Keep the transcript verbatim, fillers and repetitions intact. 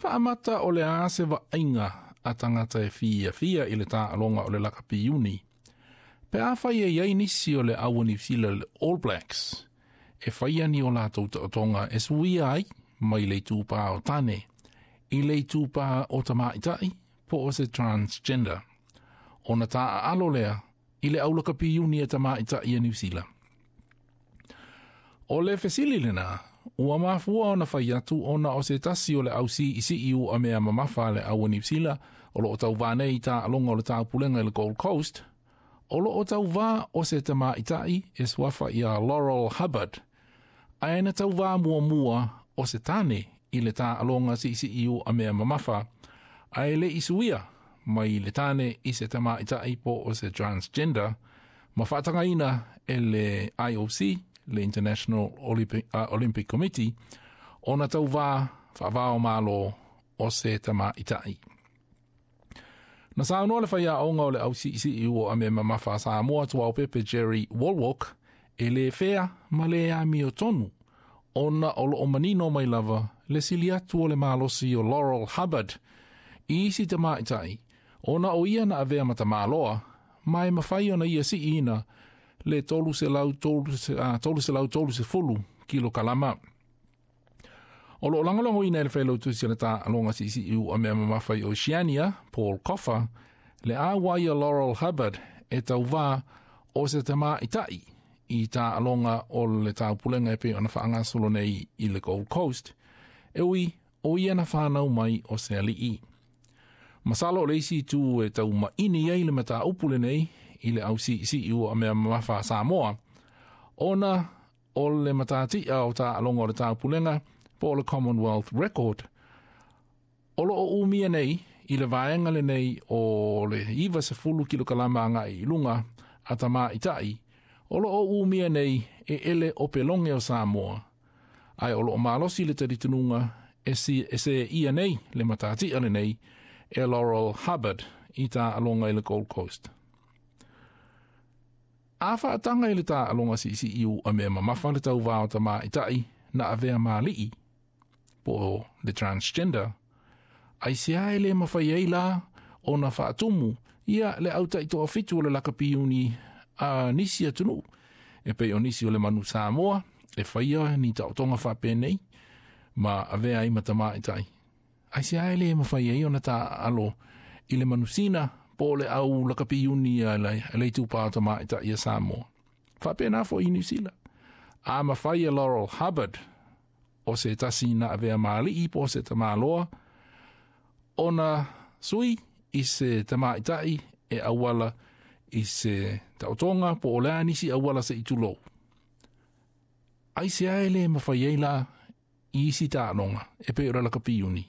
Faamata o le a se vaaiga a tagata e fiafia i le taaloga o le lakapi iuni. Pe afai e i ai nisi o le au a Niu Sila le All Blacks, e faia ni o latou taotoga e suia ai mai le itupa o tane i le itupa o tamaitai po o se transgender. Ona taaalo lea i le au lakapi iuni a tamaitai a Niu Sila. O le fesili lena, ua mafua ona fai atu ona o se tasi o le au siisii uamea mamafa a le au a Niu Sila o loo tauvā nei i taaloga o le taupulega i le Gold Coast, o loo tauvā o se tamaitai e suafa ia Laurel Hubbard, ae na tauvā muamua o se tane i le taaloga siisii uamea mamafa, ae le i suia mai le tane i se tamaitai po o se transgender, ma faatagaina e le I O C, le International Olympic, uh, Olympic Committee, ona tauvā faavao malo o se tamaitai. Na saunoa le faiaoga o le au siisii uamea mamafa a Samoa Tuaopepe Jerry Wallwork e le fea ma le amiotonu ona o loo manino mai lava le sili atu o le malosi o Laurel Hubbard i isi tamaitai ona o ia na avea ma tamaloa ma e mafai ona ia siina le tolu selau tolu sefulu kilokalama. O loo lagolagoina e le failautusi o le taaloga siisii uamea mamafa i Oceania, Paul Coffa, le auai a Laurel Hubbard e tauvā o se tamaitai i taaloga o le taupulega e pei ona faagasolo nei i le Gold Coast, e ui o ia na whanau mai o se alii. Masalo o le isi itu e taumaini ai le mataupu lenei i le au siisii uamea mamafa a Samoa, ona o le matatia o taaloga o le taupulega po o le Commonwealth Record. O loo umia nei i le vaega lenei o le iva sefulu kilokalama agai i luga a tamaitai, o loo umia nei e ele o pelonge o Samoa, ae o loo malosi le talitonuga e si e se ia nei le matatia lenei e Laurel Hubbard i taaloga i le Gold Coast. A faataga i le taaloga siisii uamea mamafa le tauvā o tamaitai na avea malii po o le transgender, ai se ae le mafai ai la ona faatumu ia le au taitoafitu o le lakapi iuni a nisi atunuu e pei o nisi o le manu Samoa e faia ni taotoga faapenei ma avea ai ma tamaitai. Ai se ae le mafai ai ona taaalo i le manusina po o le au lakapi iuni a le, le itupa o tamaitai a Samoa. Faapena foi i Niu Sila. A mafai e Laurel Hubbard o se tasi na avea malii po o se tamaloa ona sui i se tamaitai e auala i se taotoga po o le a nisi auala se itulou. Ai se ae le mafai ai la i isi taaloga e pei o le lakapi iuni.